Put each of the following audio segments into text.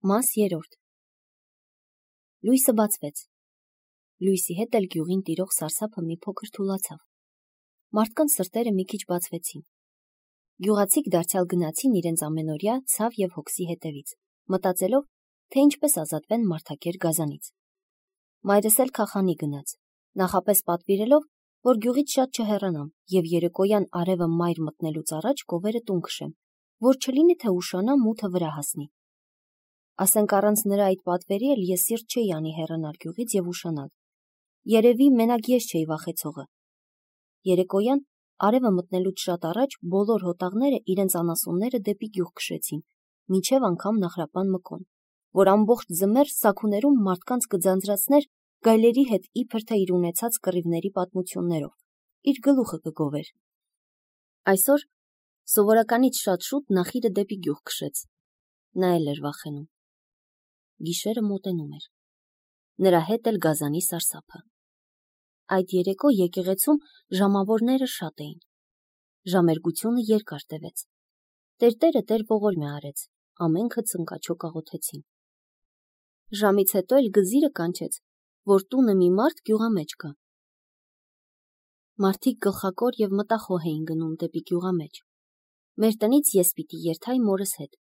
Մաս 3 Լույսը բացվեց։ Լույսի հետ էլ գյուղին տիրող սարսափը մի փոքր թուլացավ։ Մարդկանց սրտերը մի քիչ բացվեցին։ Գյուղացիք դարձյալ գնացին իրենց ամենօրյա ցավ եւ հոգսի հետևից, մտածելով, թե ինչպես ազատվեն մարդակեր գազանից։ Մայրս էլ քախանի գնաց, նախապես պատվիրելով, որ գյուղից շատ չհեռանամ եւ երեկոյան արևը մայր մտնելուց առաջ կովերը տուն քշեմ, որ չլինի թե ուշանա մութը վրա հասնի։ Ասենք առանց նրա այդ պատվերի էլ ես սիրտ չէի անի հեռանալ գյուղից եւ ուշանալ։ Երևի մենակ ես չէի վախեցողը։ Երեկոյան արևը մտնելուց շատ առաջ բոլոր հոտաղները իրենց անասունները դեպի գյուղ քշեցին, մինչև անգամ Նահրապան Մկոն, որ ամբողջ ձմեռ սաքուներում մարդկանց կձանձրացներ գայլերի հետ իբր թե իր ունեցած կռիվների պատմություններով, իր գլուխը կգովեր։ Այսօր սովորականից շատ շուտ Նախիրը դեպի գյուղ քշեց։ Նա էլ էր վախենում։ Գիշերը մոտենում էր։ Նրա հետ էլ գազանի սարսափը։ Այդ երեկո եկեղեցում ժամավորները շատ էին։ Ժամերգությունը երկար տևեց։ Տերտերը Տեր ողորմյա արեց, ամենքը ծնկաչոկ աղոթեցին։ Ժամից հետո էլ գզիրը կանչեց, որ տունը մի մարդ գյուղամեջ կա։ Մարդիկ գլխակոր եւ մտախոհ էին գնում դեպի գյուղամեջ։ Մեր տնից ես պիտի երթայի մորս հետ։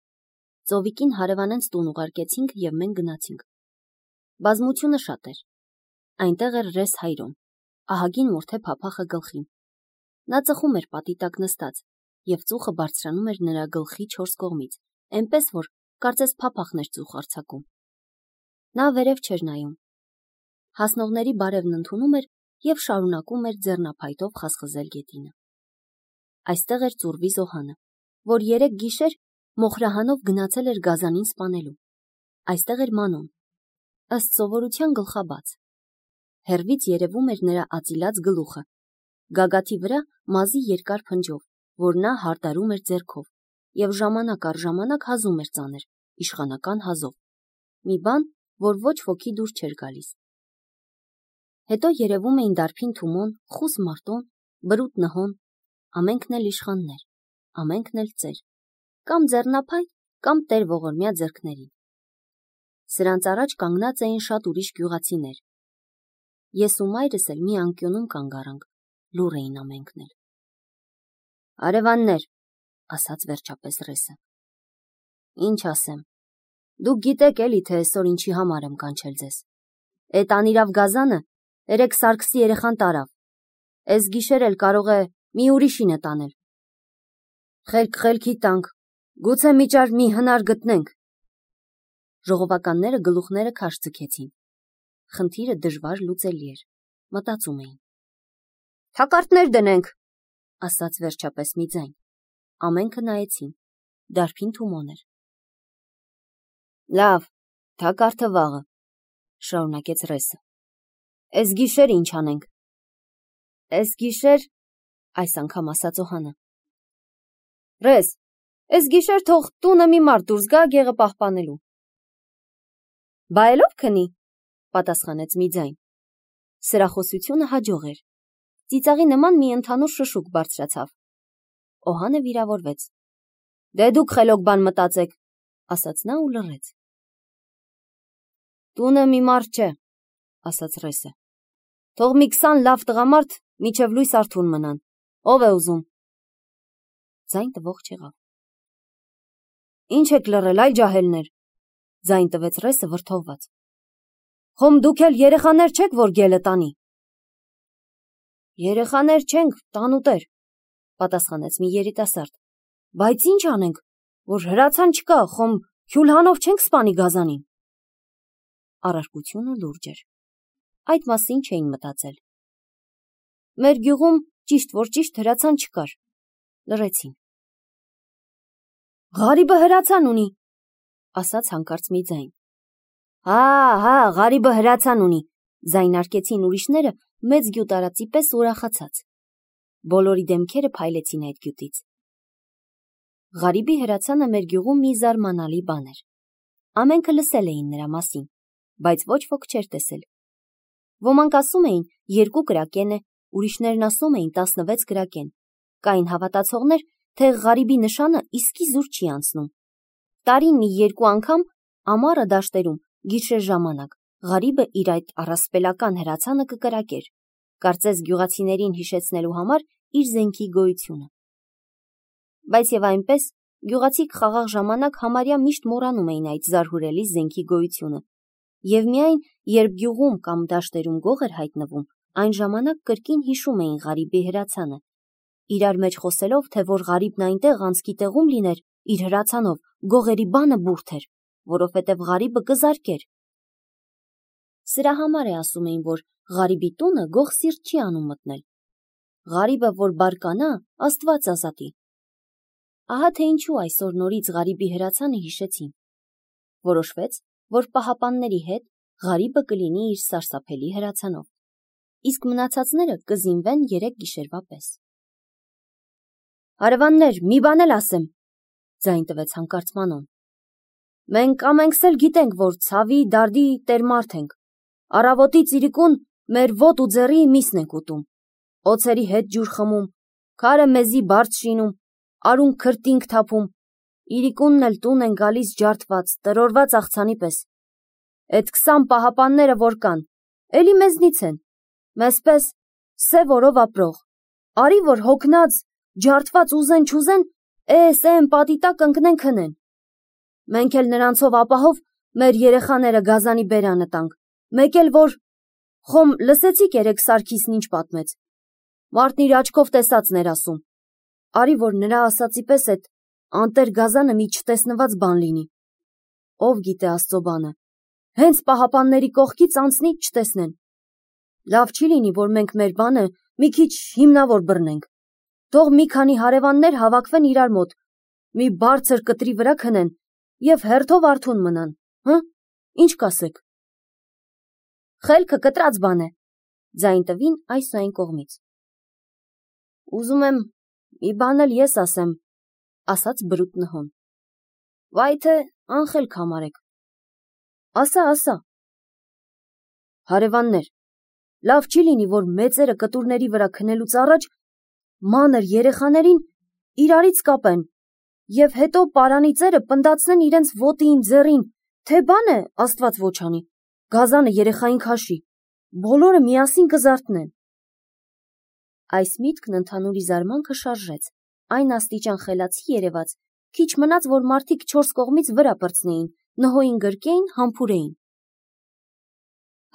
Ծովիկին հարևանենց տուն ուղարկեցինք եւ մենք գնացինք։ Բազմությունը շատ էր։ Այնտեղ էր Ռես Հայրոն, ահագին մորթե փափախը գլխին։ Նա ծխում էր պատի տակ նստած եւ ծուխը բարձրանում էր նրա գլխի 4 կողմից, այնպես որ կարծես փափախն էր ծուխ արձակում։ Նա վերև չէր նայում։ Հասնողների բարևն ընդունում էր եւ շարունակում էր ձեռնափայտով խասխզել գետինը։ Այստեղ էր Ծուրվի Զոհանը, որ 3 գիշեր մոխրահանով գնացել էր գազանին սպանելու։ Այստեղ էր Մանոն, ըստ սովորության գլխաբաց։ Հեռվից երևում էր նրա ածիլած գլուխը, գագաթի վրա մազի երկար փնջով, որ նա հարդարում էր ձեռքով եւ ժամանակ առ ժամանակ հազում էր ծանր, իշխանական հազով։ Մի բան, որ ոչ ոքի դուր չէր գալիս։ Հետո երևում էին Դարբին Թումոն, Խուս Մարտոն, Բրուտ Նհոն, ամենքն էլ իշխաններ, ամենքն էլ ծեր, կամ ձեռնափայտ, կամ Տեր ողորմյա ձեռքներին։ Սրանց առաջ կանգնած էին շատ ուրիշ գյուղացիներ։ Ես ու մայրս էլ մի անկյունում կանգ առանք, լուռ էին ամենքն էլ։ Արևաններ, ասաց վերջապես Ռեսը։ Ինչ ասեմ, դուք գիտեք էլի, թե այսօր ինչի համար եմ կանչել ձեզ։ Էդ անիրավ գազանը երեք Սարգսի երեխան տարավ։ Էս գիշեր էլ կարող է մի ուրիշին է տանել։ Խելքի տանք, գուցե միջար մի հնար գտնենք։ Ժողովականները գլուխները քաշ ձգեցին։ Խնդիրը դժվար լուծելի էր, մտածում էին։ Թակարդներ դնենք, ասաց վերջապես մի ձայն։ Ամենքը նայեցին։ Դարբին Թումոն էր։ Լավ, թակարդը վաղը, շարունակեց Ռեսը։ Էս գիշեր ինչ անենք։ Էս գիշեր, այս անգամ ասաց Օհանը։ Ռես, էս գիշեր թող տունը մի մարդ դուրս գա գեղը պահպանելու։ Բայելով քնի, պատասխանեց մի ձայն։ Սրախոսությունը հաջող էր։ Ծիծաղի նման մի ընդհանուր շշուկ բարձրացավ։ Օհանը վիրավորվեց։ Դե դուք խելոք բան մտածեք, ասաց նա ու լռեց։ Տունը մի մարդ չէ, ասաց Ռեսը։ Թող մի 20 լավ տղամարդ միջև լույս արթուն մնան։ Ով է ուզում։ Ձայն տվող չեղավ։ Ինչ եք լռել, այ ջահելներ, ձայն տվեց Ռեսը վրդովված։ Խոմ դուք էլ երեխաներ չեք, որ գելը տանի։ Երեխաներ չենք, տանուտեր, պատասխանեց մի երիտասարդ։ Բայց ինչ անենք, որ հրացան չկա, խոմ քյուլհանով չենք սպանի գազանին։ Առարկությունը լուրջ էր։ Այդ մասին չէին մտածել։ Մեր գյուղում ճիշտ որ ճիշտ հրացան չկար։ Լռեցին։ Ղարիբը հրացան ունի, ասաց հանկարծ մի ձայն։ Հա, Ղարիբը հրացան ունի, ձայնարկեցին ուրիշները մեծ գյուտարածի պես ուրախացած։ Բոլորի դեմքերը փայլեցին այդ գյուտից։ Ղարիբի հրացանը մեր գյուղում մի զարմանալի բան էր։ Ամենքը լսել էին նրա մասին, բայց ոչ ոք չէր տեսել։ Ոմանք ասում էին 2 կրակեն է, ուրիշներն ասում էին 16 կրակեն։ Կային հավատացողներ, թե Ղարիբի նշանը իսկի զուր չի անցնում։ Տարին մի 2 անգամ Ամառը դաշտերում, գիշեր ժամանակ, Ղարիբը իր այդ առասպելական հրացանը կկրակեր, կարծես գյուղացիներին հիշեցնելու համար իր զենքի գոյությունը։ Բայց եւ այնպես գյուղացիք խաղաղ ժամանակ համարյա միշտ մոռանում էին այդ զարհուրելի զենքի գոյությունը, եւ միայն երբ գյուղում կամ դաշտերում գող էր հայտնվում, այն ժամանակ կրկին հիշում էին Ղարիբի հրացանը, իրար մեջ խոսելով, թե որ Ղարիբն այնտեղ անցքի տեղում լիներ իր հրացանով, գողերի բանը բուրդ էր, որովհետև Ղարիբը կզարկեր։ Սրա համար է ասում էին, որ Ղարիբի տունը գող սիրտ չի անում մտնել։ Ղարիբը որ բարկանա, Աստված ազատի։ Ահա թե ինչու այսօր նորից Ղարիբի հրացանը հիշեցին։ Որոշվեց, որ պահապանների հետ Ղարիբը կլինի իր սարսափելի հրացանով, իսկ մնացածները կզինվեն 3 գիշերվա պես։ Հարևաններ, մի բան էլ ասեմ, ձայն տվեց հանկարծ Մանոն։ Մենք ամենքս էլ գիտենք, որ ցավի, դարդի տեր մարդ ենք։ Առավոտից իրիկուն մեր ոտ ու ձեռի միսն ենք ուտում, օձերի հետ ջուր խմում, քարը մեզի բարդ շինում, արուն քրտինք թափում, իրիկունն էլ տուն են գալիս ջարդված, տրորված աղցանի պես։ Էդ 20 պահապանները որ կան, էլի մեզնից են, մեզպես սև օրով ապրող, արի որ հոգնած, ջարդված ուզեն չուզեն, էն պատի տակ ընկնեն քնեն։ Մենք էլ նրանցով ապահով մեր երեխաները գազանի բերանը տանք, մեկ էլ որ խոմ լսեցիք երեք Սարգիսն ինչ պատմեց։ Մարդն իր աչքով տեսածն էր ասում, արի որ նրա ասացի պես էդ անտեր գազանը մի չտեսնված բան լինի։ Ով գիտե Աստծո բանը, հենց պահապանների կողքից անցնի չտեսնեն։ Լավ չի լինի, որ մենք մեր բանը մի քիչ հիմնավոր բռնենք։ Թող մի քանի հարևաններ հավաքվեն իրար մոտ, մի բարձր կտրի վրա քնեն եւ հերթով արթուն մնան, հը՞, ինչ կասեք։ Խելքը կտրած բան է, ձայն տվին այս ու այն կողմից։ Ուզում եմ մի բան էլ ես ասեմ, ասաց բրուտ Նհոն։ Վայ թե անխելք համարեք։ Ասա։ Հարևաններ, լավ չի լինի, որ մեծերը կտուրների վրա քնելուց առաջ մանր երեխաներին իրարից կապեն եւ հետո պարանի ծերը պնդացնեն իրենց ոտին, ձեռին, թե բան է Աստված ոչ անի, գազանը երեխային քաշի, բոլորը միասին կզարթնեն։ Այս միտքն ընդհանուրի զարմանքը շարժեց, այն աստիճան խելացի երևաց, քիչ մնաց, որ մարդիկ 4 կողմից վրա պրծնեին, Նհոյին գրկեին, համբուրեին։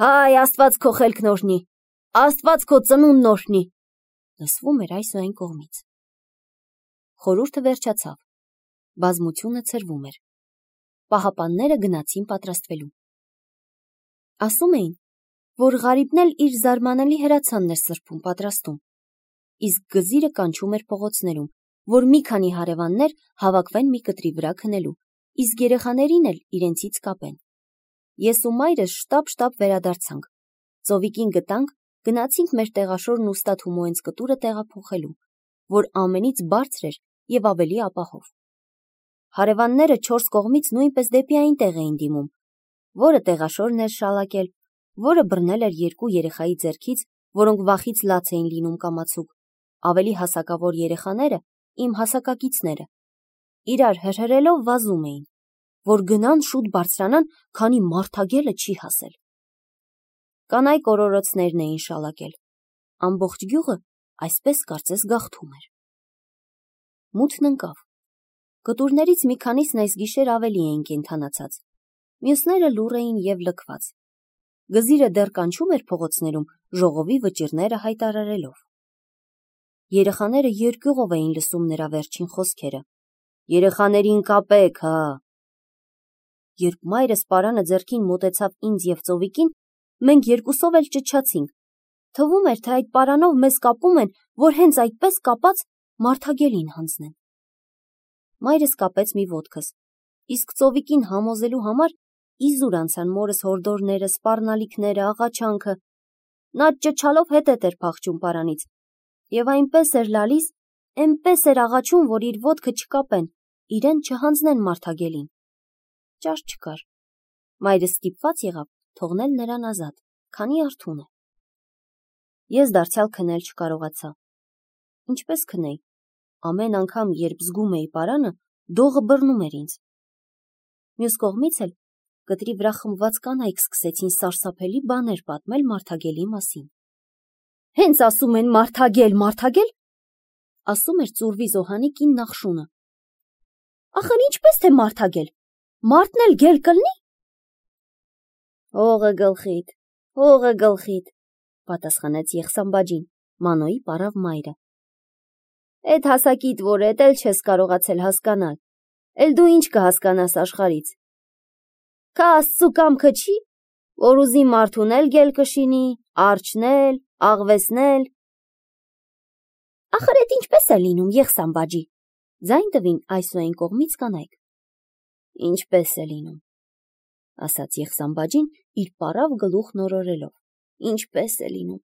Հայ, Աստված քո խելքն օրհնի, Աստված քո ծնունդն օրհնի, լսվում էր այս ու այն կողմից։ Խորհուրդը վերջացավ, բազմությունը ցրվում էր, պահապանները գնացին պատրաստվելու։ Ասում էին, որ Ղարիբն էլ իր զարմանալի հրացանն էր սրբում պատրաստում, իսկ գզիրը կանչում էր փողոցներում, որ մի քանի հարևաններ հավաքվեն մի կտրի վրա քնելու, իսկ երեխաներին էլ իրենցից կապեն։ Ես ու մայրս շտապ վերադարձանք, ծովիկին գտանք, գնացինք մեր տեղաշորն ու Ստաթ Հումոյենց կտուրը տեղափոխելու, որ ամենից բարձր էր եւ ավելի ապահով։ Հարևանները 4 կողմից նույնպես դեպի այնտեղ էին դիմում, որը տեղաշորն էր շալակել, որը բռնել էր 2 երեխայի ձեռքից, որոնք վախից լաց էին լինում կամացուկ, ավելի հասակավոր երեխաները, իմ հասակակիցները, իրար հրհրելով վազում էին, որ գնան շուտ բարձրանան, քանի մարդագելը չի հասել։ Կանայք օրորոցներն էին շալակել, ամբողջ գյուղը այսպես կարծես գաղթում էր։ Մութն ընկավ, կտուրներից մի քանիսն այս գիշեր ավելի էին կենդանացած, մյուսները լուռ էին եւ լքված։ Գզիրը դեռ կանչում էր փողոցներում, ժողովի վճիռները հայտարարելով։ Երեխաները երկյուղով էին լսում նրա վերջին խոսքերը։ Երեխաներին կապեք, հա։ Երբ մայրս պարանը ձեռքին մոտեցավ ինձ եւ ծովիկին, մենք երկուսով էլ ճչացինք։ Թվում էր, թե այդ պարանով մեզ կապում են, որ հենց այդպես կապած մարդագելին հանձնեն։ Մայրս կապեց մի ոտքս, իսկ ծովիկին համոզելու համար իզուր անցան մորս հորդորները, սպառնալիքները, աղաչանքը։ Նա ճչալով հետ էր փախչում պարանից եւ այնպես էր լալիս, այնպես էր աղաչում, որ իր ոտքը չկապեն, իրեն չհանձնեն մարդագելին։ Ճաշ չկար։ Մայրս ստիպված եղավ թողնել նրան ազատ, քանի արթուն է։ Ես դարձյալ քնել չկարողացա։ Ինչպես քնեի։ Ամեն անգամ, երբ զգում էի պարանը, դողը բռնում էր ինձ։ Մյուս կողմից էլ կտրի վրա խմված կանայք սկսեցին սարսափելի բաներ պատմել Մարդագելի մասին։ Հենց ասում են Մարդագել, Մարդագել, ասում էր ծուրվի զոհանի կին Նախշունը։ Ախր ինչպես թե Մարդագել, մարդն էլ գել կլնի։ Հողը գլխիդ, պատասխանեց Եղսամբաջին, Մանոյի պարավ մայրը։ Էդ հասակիդ որ էդ էլ չես կարողացել հասկանալ, էլ դու ինչ կհասկանաս աշխարից։ Քա Աստծու կամքը չի, որ ուզի մարդուն էլ գել կշինի, արջնել, աղվեսնել։ Ախր էդ ինչպես է լինում, Եղսամբաջի, ձայն տվին այսուայն կողմից կանայք։ Ինչպես է լինում, ասաց Եղսամբաջին իր պարավ գլուխն օրորելով։ Ինչպես է լինում։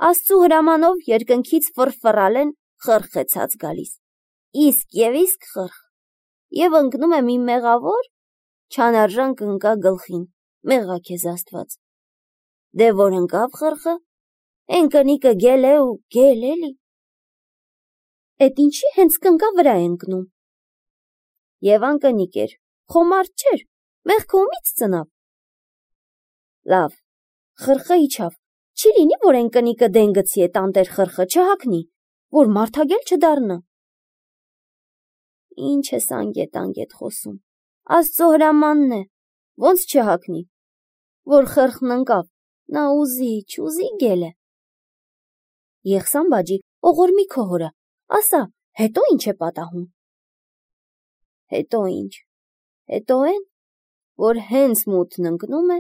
Աստծու հրամանով երկնքից ֆռֆռալ են խրխեցած գալիս։ Իսկ եւ իսկ խրխ։ Եվ ընկնում է մի մեղավոր, չանարժան կընկա գլխին, մեղա քեզ Աստված։ Դե որ ընկավ խրխը, են կնիկը գել է ու գել էլի։ Էդ ինչի հենց կնկա վրա է ընկնում։ Եվ անկնիկ էր, խոմարդ չէր, մեղքը ումից ծնավ։ Լավ, խրխը իջավ, չի լինի, որ են կնիկը դեն գցի է տանտեր խրխը չհակնի, որ Մարդագել չդառնա։ Ինչ ես անգետ խոսում, Աստծո հրամանն է, ոնց չհակնի, որ խրխն ընկավ, նա ուզի, չուզի գել է։ Եղսամբաջի, օղորմի քո հորը, ասա, հետո ինչ է պատահում։ Հետո ինչ, հետո են, որ հենց մութն ընկնում է,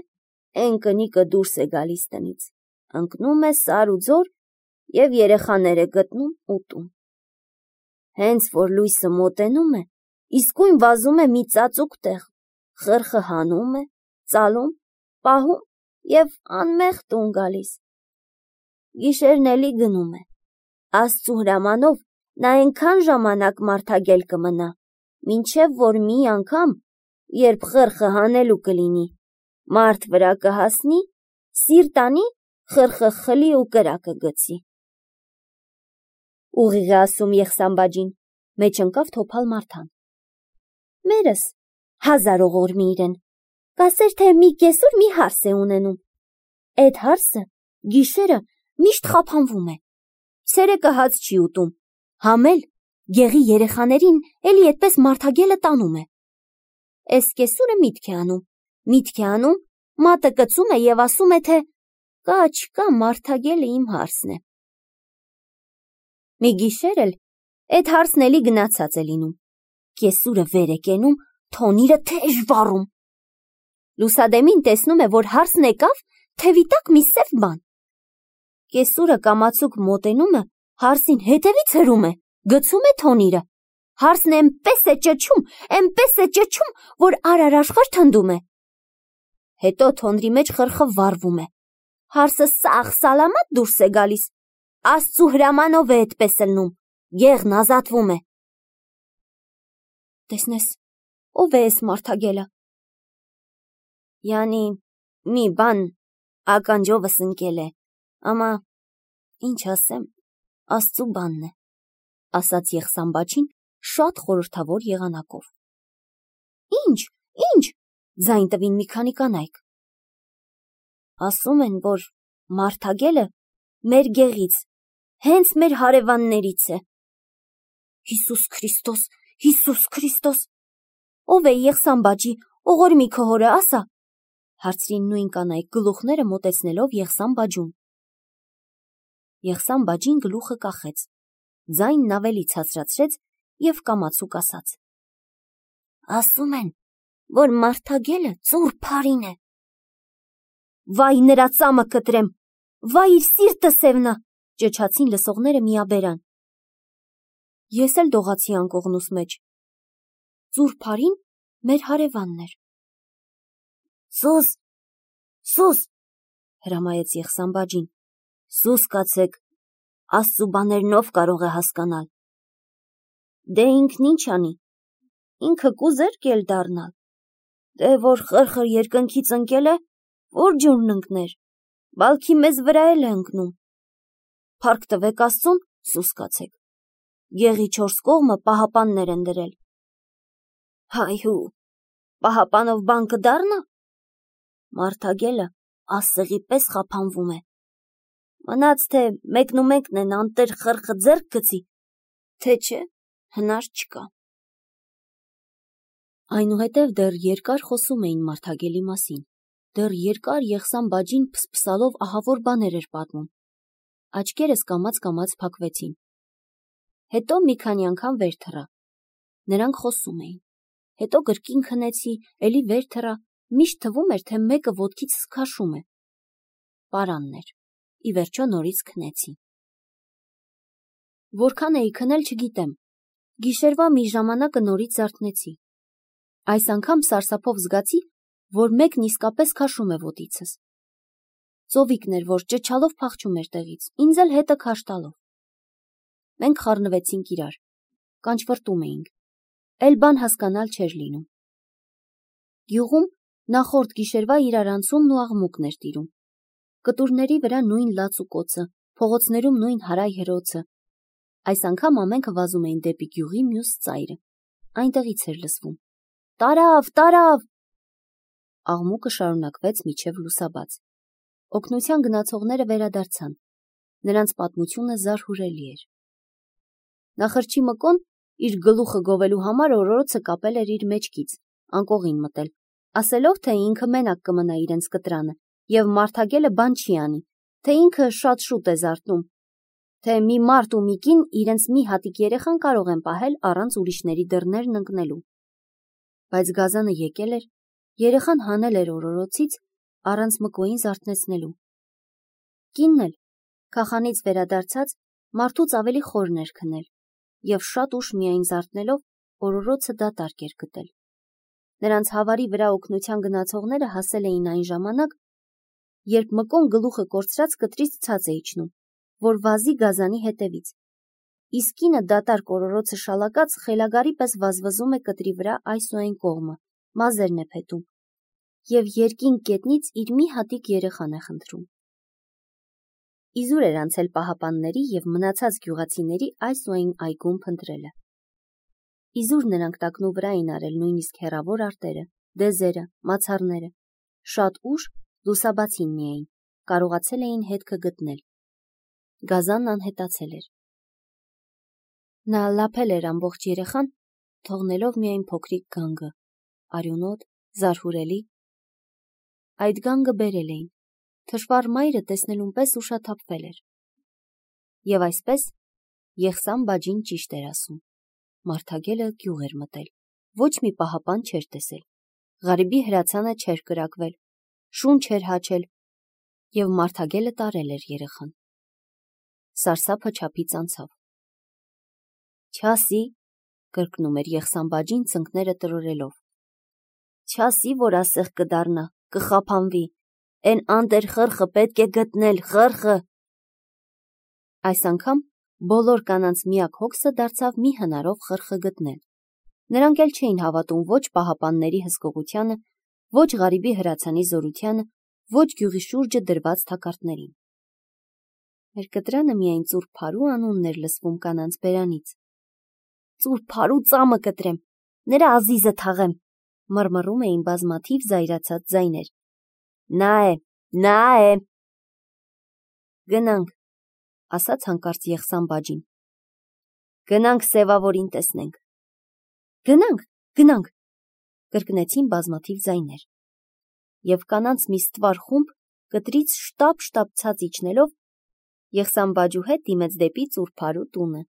են կնիկը դուրս է գալիս տնից, ընկնում է սար ու ձոր և երեխաներ է գտնում ուտում։ Հենց որ լույսը մոտենում է, իսկույն վազում է մի ծածուկ տեղ, խրխը հանում է, ծալում, պահում և անմեղ տուն գալիս։ Գիշերն էլի գնում է։ Աստծու հրամանով նա այնքան ժամանակ Մարդագել կմնա, մինչև որ մի անգամ, երբ խրխը հանելու կլինի, մարդ վրա կհասնի, սիրտ անի, խրխը խլի ու կրակը գցի։ Ուղիղ է ասում Եղսամբաջին, մեջ ընկավ Թոփալ Մարթան։ Մերս 1000 օղորմի իրեն, կասեր թե մի կեսուր մի հարս է ունենում։ Էդ հարսը գիշերը միշտ խափանվում է, ցերեկը հաց չի ուտում, համել գեղի երեխաներին էլի այդպես Մարդագելը տանում է։ Էս կեսուրը միտք է անում, մատը կծում է և ասում է, թե կա չկա Մարդագելը իմ հարսն է։ Մի գիշեր էլ էդ հարսն էլի գնացած է լինում, կեսուրը վեր է կենում, թոնիրը թեժ վառում։ Լուսադեմին տեսնում է, որ հարսն եկավ, թևի տակ մի սև բան։ Կեսուրը կամացուկ մոտենում է, հարսին հետևից հրում է, գցում է թոնիրը։ Հարսն էնպես է ճչում, որ արարաշխար թնդում է։ Հետո թոնրի մեջ խրխը վառվում է։ Հարսը սաղ սալամատ դուրս է գալիս։ Աստծու հրամանով է այդպես ելնում, գեղն ազատվում է։ Տեսնես, ով է էս Մարդագելը։ Յանի մի բան ականջովս ընկել է, ամա ինչ ասեմ, Աստծու բանն է, ասաց Եղսամբաջին շատ խորհրդավոր եղանակով։ Ինչ, ձայն տվին մի քանի կանայք։ Ասում են, որ Մարդագելը մեր գեղից, հենց մեր հարևաններից է։ Հիսուս Քրիստոս, ով է Եղսամբաջի, օղորմի քո հորը, ասա, հարցրին նույն կանայք գլուխները մոտեցնելով Եղսամբաջուն։ Եղսամբաջին գլուխը կախեց, ձայնն ավելի ցածրացրեց և կամացուկ ասաց. Ասում են, որ Մարդագելը ծուռ փարին է։ Վայ նրա ծամը կտրեմ, վայ իր սիրտը սևնա, ճչացին լսողները միաբերան։ Ես էլ դողացի անկողնուս մեջ։ Ծուռ փարին մեր հարևանն էր։ Սուս, հրամայեց Եղսամբաջին, սուս կացեք, Աստծու բաներն ով կարող է հասկանալ։ Դե ինքն ինչ անի, ինքը կուզեր կել դառնալ։ Դե որ խրխը երկնքից ընկել է, որ ջուրն ընկներ, բալքի մեզ վրա էլ է ընկնում։ Փառք տվեք Աստծուն, սուս կացեք։ Գեղի 4 կողմը պահապաններ են դրել։ Հայհու, Պահապանով բան կդառնա։ Մարդագելը ասեղի պես խափանվում է։ Մնաց թե մեկնումեկն են անտեր խրխը ձեռք գցի, թե չէ, հնար չկա։ Այնուհետև դեռ երկար խոսում էին Մարդագելի մասին, դեռ երկար Եղսան բաջին փսփսալով ահավոր բաներ էր պատմում։ Աչքերս կամաց փակվեցին։ Հետո մի քանի անգամ վեր թռա։ Նրանք խոսում էին։ Հետո կրկին քնեցի, էլի վեր թռա, միշտ թվում էր, թե մեկը ոտքիցս քաշում է։ Պարանն էր։ Ի վերջո նորից քնեցի։ Որքան էի քնել չգիտեմ։ Գիշերվա մի ժամանակը նորից զարթնեցի։ Այս անգամ սարսափով զգացի, որ մեկն իսկապես քաշում է ոտիցս։ Ծովիկն էր, որ ճչալով փախչում էր տեղից, ինձ էլ հետը քաշ տալով։ Մենք խառնվեցինք իրար, կանչվրտում էինք, էլ բան հասկանալ չէր լինում։ Գյուղում նախորդ գիշերվա իրարանցումն ու աղմուկն էր տիրում։ Կտուրների վրա նույն լաց ու կոծը, փողոցներում նույն հարայ հրոցը։ Այս անգամ ամենքը վազում էին դեպի գյուղի մյուս ծայրը։ Այնտեղից էր լսվում. «Տարավ, տարավ»։ Աղմուկը շարունակվեց մինչև լուսաբաց։ Օգնության գնացողները վերադարձան։ Նրանց պատմությունը զարհուրելի էր։ Նախրջի Մկոն իր գլուխը գովելու համար օրորոցը կապել էր իր մեջքից, անկողին մտել, ասելով, թե ինքը մենակ կմնա իրենց կտրանը, և Մարդագելը բան չի անի, թե ինքը շատ շուտ է զարթնում, թե մի մարդ ու մի կին իրենց մի հատիկ երեխան կարող են պահել առանց ուրիշների դռներն ընկնելու։ Բայց Գազանը եկել էր, երեխան հանել էր օրորոցից, առանց Մկոյին զարթնեցնելու։ Կինն էլ, քախանից վերադարձած, մարդուց ավելի խորն էր քնել, և շատ ուշ միայն զարթնելով, օրորոցը դատարկ էր գտել։ Նրանց հավարի վրա օգնության գնացողները հասել էին այն ժամանակ, երբ Մկոն գլուխը կորցրած կտրից ցած է իջնում, որ վազի Գազանի հետևից։ Իսկ կինը դատարկ օրորոցը շալակած խելագարի պես վազվզում է կտրի վրա այս ու այն կողմը, մազերն է փետում, և երկինք գետնից իր մի հատիկ երեխան է խնդրում։ Իզուր էր անցել պահապանների և մնացած գյուղացիների այս ու այն այգում փնտրելը։ Իզուր նրանք տակնու վրա էին արել նույնիսկ հեռավոր արտերը, դեզերը, մացառները։ Շատ ուշ, լուսաբացին միայն, կարողացել էին հետքը գտնել։ Գազանն անհետացել էր։ Նա լափել էր ամբողջ երեխան, թողնելով միայն փոքրիկ գանգը, արյունոտ, զարհուրելի։ Այդ գանգը բերել էին, թշվառ մայրը տեսնելուն պես ուշաթափվել էր։ Եվ այսպես Եղսան բաջին ճիշտ էր ասում։ Մարդագելը գյուղ էր մտել, ոչ մի պահապան չէր տեսել, Ղարիբի հրացանը չէր կրակվել, շուն չէր հաչել, և Մարդագելը տարել էր երեխան։ Սարսափը չափից անցավ։ Չասի, կրկնում էր Եղսան բաջին ծնկները տրորելով։ Չասի, որ ասեղ կդառնա, կխափանվի, էն անտեր խրխը պետք է գտնել, խրխը։ Այս անգամ բոլոր կանանց միակ հոգսը դարձավ մի հնարով խրխը գտնել։ Նրանք էլ չէին հավատում ոչ պահապանների հսկողությանը, ոչ Ղարիբի հրացանի զորությանը, ոչ գյուղի շուրջը դրված թակարդներին։ Մեր կտրանը միայն Ծուռ Փարու անունն էր լսվում կանանց բերանից։ Ծուռ Փարու ծամը կտրեմ, նրա ազիզը թաղեմ, մռմռում էին բազմաթիվ զայրացած ձայներ։ Նա է, նա է։ Գնանք, ասաց հանկարծ Եղսան բաջին։ Գնանք Սևավորին տեսնենք։ Գնանք, գնանք, կրկնեցին բազմաթիվ ձայներ։ Եվ կանանց մի ստվար խումբ կտրից շտապ ցած իջնելով Եղսան բաջու հետ դիմեց դեպի Ծուռ Փարու տունը։